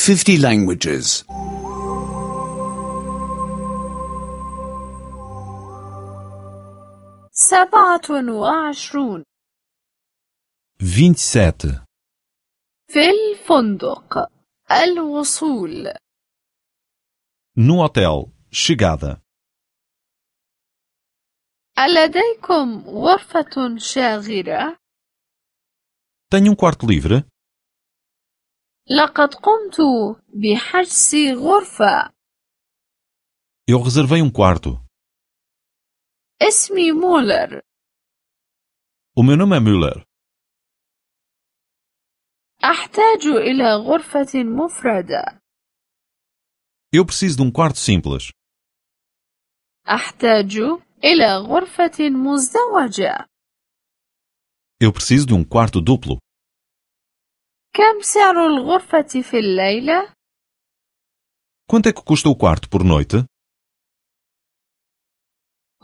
50 languages. 27 27. في الفندق الوصول No hotel. Chegada. ألديكم غرفة شاغرة؟ Tenho um quarto livre? لقد قمت بحجز غرفة. Eu reservei um quarto. اسمي مولر. O meu nome é Müller. أحتاج إلى غرفة مفردة. Eu preciso de um quarto simples. أحتاج إلى غرفة مزدوجة. Eu preciso de um quarto duplo. كم سعر الغرفة في الليلة؟ Quanto é que custa o quarto por noite?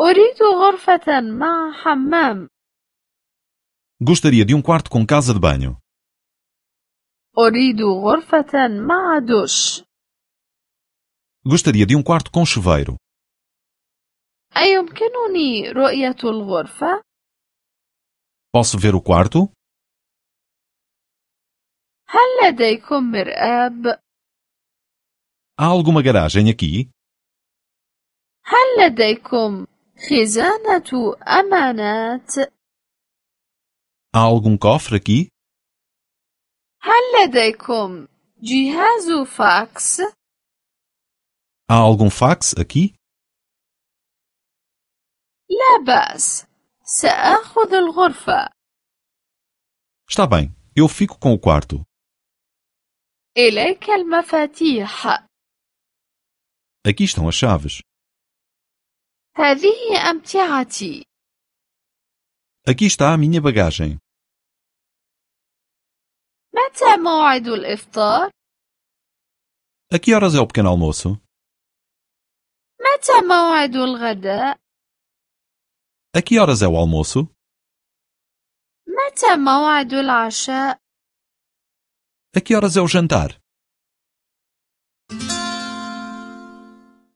أريد غرفة مع حمام. Gostaria de um quarto com casa de banho. أريد غرفة مع دش. Gostaria de um quarto com chuveiro. أيمكنني رؤية الغرفة؟ Posso ver o quarto? هل لديكم مرآب؟ Há alguma garagem aqui? هل لديكم خزانة أمانات؟ Há algum cofre aqui? هل لديكم جهاز فاكس؟ Há algum fax aqui? لا بأس، سآخذ الغرفة. Está bem, eu fico com o quarto. إليك المفاتيح. Aqui estão as chaves. هذه أمتعتي. Aqui está a minha bagagem. متى موعد الإفطار؟ A que horas é o pequeno almoço? متى موعد الغداء؟ A que horas é o almoço? متى موعد العشاء؟ A que horas é o jantar?